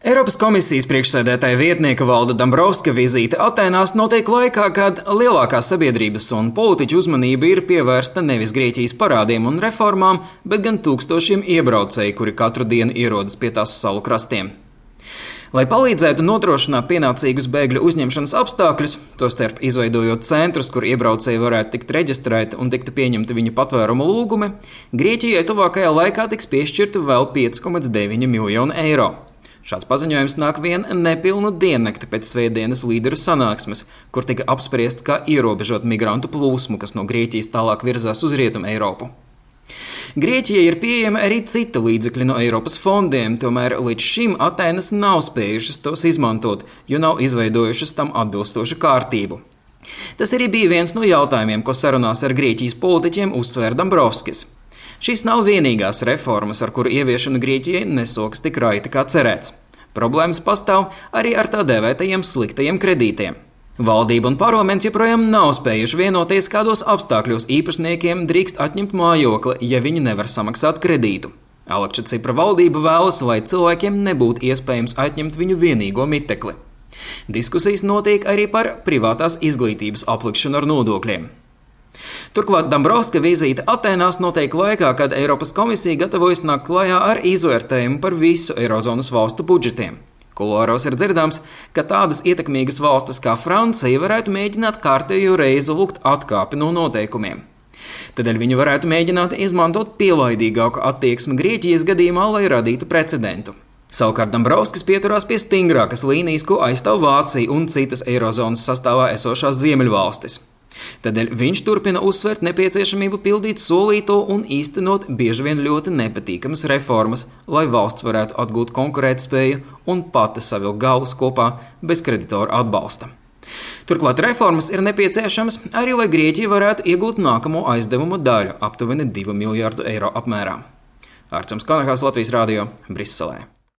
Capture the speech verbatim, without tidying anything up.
Eiropas komisijas priekšsēdētāja vietnieka Valda Dombrovska vizīte Atēnās notiek laikā, kad lielākā sabiedrības un politiķu uzmanība ir pievērsta nevis Grieķijas parādiem un reformām, bet gan tūkstošiem iebraucēju, kuri katru dienu ierodas pie tās salu krastiem. Lai palīdzētu nodrošināt pienācīgus bēgļu uzņemšanas apstākļus, tostarp izveidojot centrus, kur iebraucēji varētu tikt reģistrēti un tiktu pieņemti viņu patvērumu lūgumi, Grieķijai tuvākajā laikā tiks piešķirta vēl pieci komats deviņi miljoni eiro. Šāds paziņojums nāk vien nepilnu diennakti pēc svētdienas līderu sanāksmes, kur tika apspriests, kā ierobežot migrantu plūsmu, kas no Grieķijas tālāk virzās uz Rietumu Eiropu. Grieķijai ir pieejami arī citi līdzekļi no Eiropas fondiem, tomēr līdz šim Atēnas nav spējušas tos izmantot, jo nav izveidojušas tam atbilstošu kārtību. Tas arī bija viens no jautājumiem, ko sarunās ar Grieķijas politiķiem uzsvēra Dombrovskis. Šīs nav vienīgās reformas, ar kuru ieviešanu Grieķijai nesoks tik raiti kā cerēts. Problēmas pastāv arī ar tā dēvētajiem sliktajiem kredītiem. Valdība un parlaments joprojām nav spējuši vienoties, kādos apstākļos īpašniekiem drīkst atņemt mājokli, ja viņi nevar samaksāt kredītu. Alekša Cipra valdība vēlas, lai cilvēkiem nebūtu iespējams atņemt viņu vienīgo mitekli. Diskusijas notiek arī par privātās izglītības aplikšanu ar nodokļiem. Turklāt Dombrovska vizīte Atēnās notiek laikā, kad Eiropas komisija gatavojas nākt klajā ar izvērtējumu par visu Eirozonas valstu budžetiem. Kuloāros ir dzirdams, ka tādas ietekmīgas valstis kā Francija varētu mēģināt kārtējo reizi lūgt atkāpi no noteikumiem. Tādēļ viņi varētu mēģināt izmantot pielaidīgāku attieksmi Grieķijas gadījumā, lai radītu precedentu. Savukārt Dombrovskis pieturās pie stingrākas līnijas, ko aizstāv Vācija un citas Eirozonas sastāvā esošās ziemeļvalstis. Tādēļ viņš turpina uzsvērt nepieciešamību pildīt solīto un īstenot bieži vien ļoti nepatīkamas reformas, lai valsts varētu atgūt konkurētspēju un pati savilkt galvas kopā bez kreditoru atbalsta. Turklāt reformas ir nepieciešamas arī, lai Grieķija varētu iegūt nākamo aizdevumu daļu aptuveni divu miljārdu eiro apmērā. Arčuns Kanahās, Latvijas radio, Briselē.